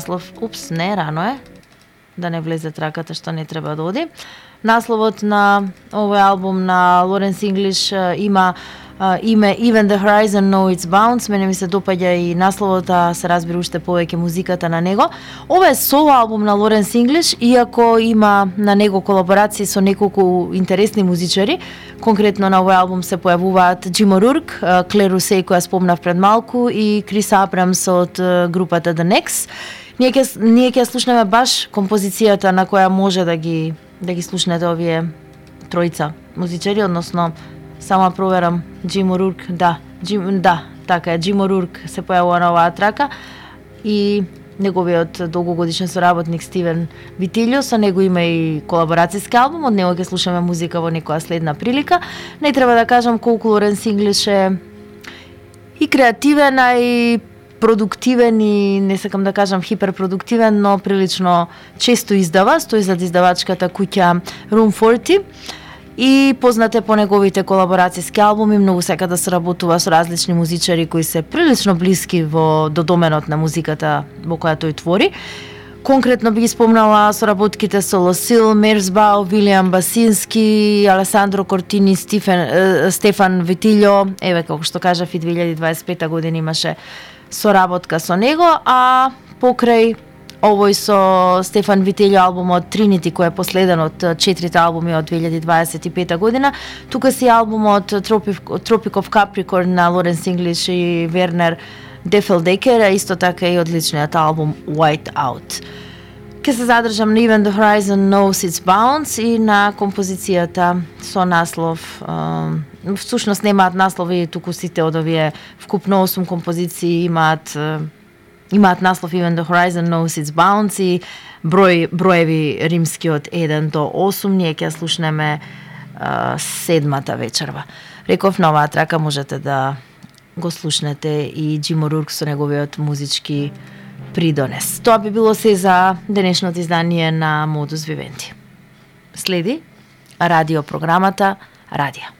наслов, не рано е, да не влезе траката што не треба да оди. Насловот на овој албум на Лоренс Инглиш има име Even the Horizon Know Its Bounds. Мене ми се допаѓа и насловот, а се разбира уште повеќе музиката на него. Ова е соло албум на Лоренс Инглиш, иако има на него колаборации со неколку интересни музичари. Конкретно на овој албум се појавуваат Джим О'Рурк, Клер Русей, која спомнав пред малку, и Крис Абрамс од групата The Next. Ние ќе слушнеме баш композицијата на која може да ги слушнете овие тројца музичари, односно само проверам Джим О'Рурк, така е, Джим О'Рурк се појавува на оваа трака и неговиот долгогодишен соработник Стивен Витилјо, со него има и колаборацијски албум, од него ќе слушаме музика во некоја следна прилика. Не треба да кажам колку Лоренс Инглиш е и креативен, а и продуктивен и не сакам да кажам хиперпродуктивен, но прилично често издава, стои зад издавачката куќа Room 40 и познате по неговите колаборацијски албуми, многу сека да се работува со различни музичари кои се прилично блиски до доменот на музиката во која тој твори. Конкретно би ги спомнала соработките со Лосил, Мерсбау, Вилијам Басински, Алесандро Кортини, Стефан Витилјо. Еве, како што кажав, и 2025 година имаше соработка со него, а покрај овој со Стефан Витилјо албумот Trinity, кој е последен од 4 албуми од 2025 година, тука си албумот Tropic of Capricorn на Лоренс Инглиш и Вернер Дефелдекер, а исто така и одличниот албум White Out. Ке се задржам на Even the Horizon Knows Its Bounds и на композицијата со наслов, всушност немаат наслови, туку сите од овие вкупно 8 композиции имаат наслов Even the Horizon Knows Its Bounds и броеви римски од 1 до 8. Ние ќе слушнеме седмата вечерва. Реков, на оваа трака можете да го слушнете и Джим О'Рурк со неговиот музички придонес. Тоа би било се за денешното издание на Modus Vivendi. Следи радио програмата Радија.